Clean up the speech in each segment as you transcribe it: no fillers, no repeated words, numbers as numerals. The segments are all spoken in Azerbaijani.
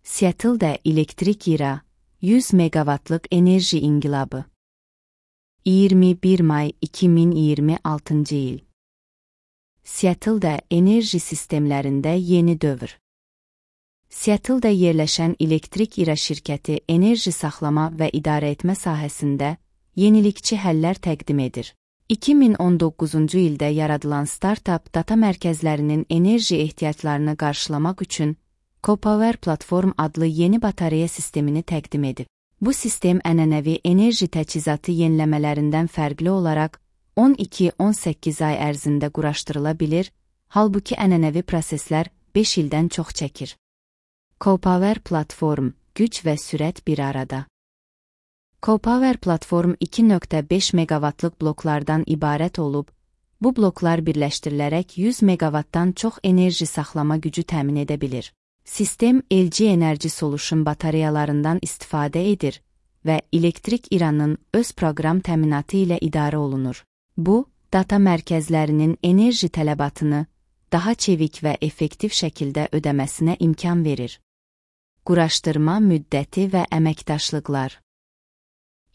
Seattle'da elektrik ira 100 megawatlıq enerji inqilabı. 21 may 2026 il. Seattle'da enerji sistemlərində yeni dövr. Seattle'da yerləşən elektrik ira şirkəti enerji saxlama və idarə etmə sahəsində yenilikçi həllər təqdim edir. 2019-cu ildə yaradılan startup data mərkəzlərinin enerji ehtiyaclarını qarşılamaq üçün CoPower Platform adlı yeni batareya sistemini təqdim edib. Bu sistem ənənəvi enerji təchizatı yeniləmələrindən fərqli olaraq 12-18 ay ərzində quraşdırıla bilir, halbuki ənənəvi proseslər 5 ildən çox çəkir. CoPower Platform, güc və sürət bir arada. CoPower Platform 2.5 megawatlıq bloklardan ibarət olub, bu bloklar birləşdirilərək 100 megawattdan çox enerji saxlama gücü təmin edə bilir. Sistem LG Energy Solution batareyalarından istifadə edir və elektrik iranın öz proqram təminatı ilə idarə olunur. Bu, data mərkəzlərinin enerji tələbatını daha çevik və effektiv şəkildə ödəməsinə imkan verir. Quraşdırma müddəti və əməkdaşlıqlar.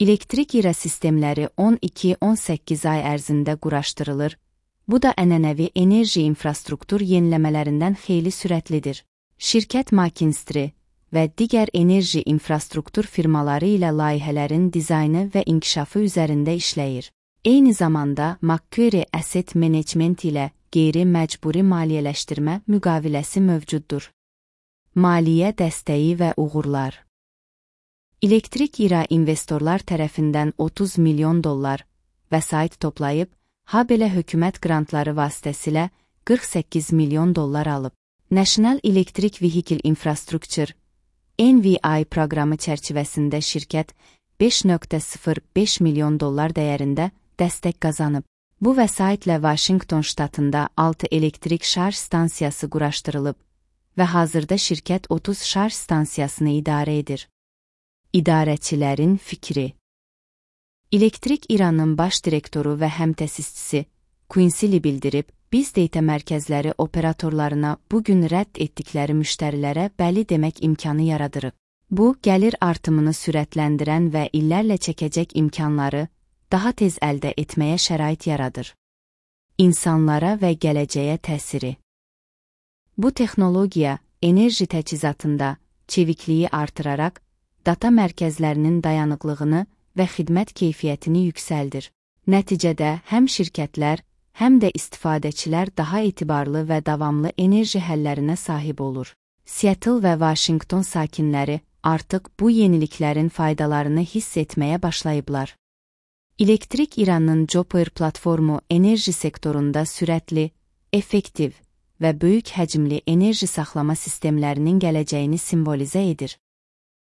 Elektrik ira sistemləri 12-18 ay ərzində quraşdırılır, bu da ənənəvi enerji infrastruktur yeniləmələrindən xeyli sürətlidir. Şirkət McKinsey və digər enerji infrastruktur firmaları ilə layihələrin dizaynı və inkişafı üzərində işləyir. Eyni zamanda Macquarie Asset Management ilə qeyri-məcburi maliyyələşdirmə müqaviləsi mövcuddur. Maliyyə dəstəyi və uğurlar. Elektrik ira investorlar tərəfindən $30 milyon vəsait toplayıb, habelə hökumət qrantları vasitəsilə $48 milyon alıb. National Electric Vehicle Infrastructure (NVI) proqramı çərçivəsində şirkət $5.05 milyon dəyərində dəstək qazanıb. Bu vəsaitlə Washington ştatında 6 elektrik şarj stansiyası quraşdırılıb və hazırda şirkət 30 şarj stansiyasını idarə edir. İdarəçilərin fikri. Elektrik İranın baş direktoru və həmtəsisçisi Quincy Lee bildirib, biz data mərkəzləri operatorlarına bugün rədd etdikləri müştərilərə bəli demək imkanı yaradırıq. Bu, gəlir artımını sürətləndirən və illərlə çəkəcək imkanları daha tez əldə etməyə şərait yaradır. İnsanlara və gələcəyə təsiri. Bu texnologiya enerji təchizatında çevikliyi artıraraq, data mərkəzlərinin dayanıqlığını və xidmət keyfiyyətini yüksəldir. Nəticədə həm şirkətlər, həm də istifadəçilər daha etibarlı və davamlı enerji həllərinə sahib olur. Seattle və Washington sakinləri artıq bu yeniliklərin faydalarını hiss etməyə başlayıblar. Elektrik İranın CoPower platformu enerji sektorunda sürətli, effektiv və böyük həcmli enerji saxlama sistemlərinin gələcəyini simvolizə edir.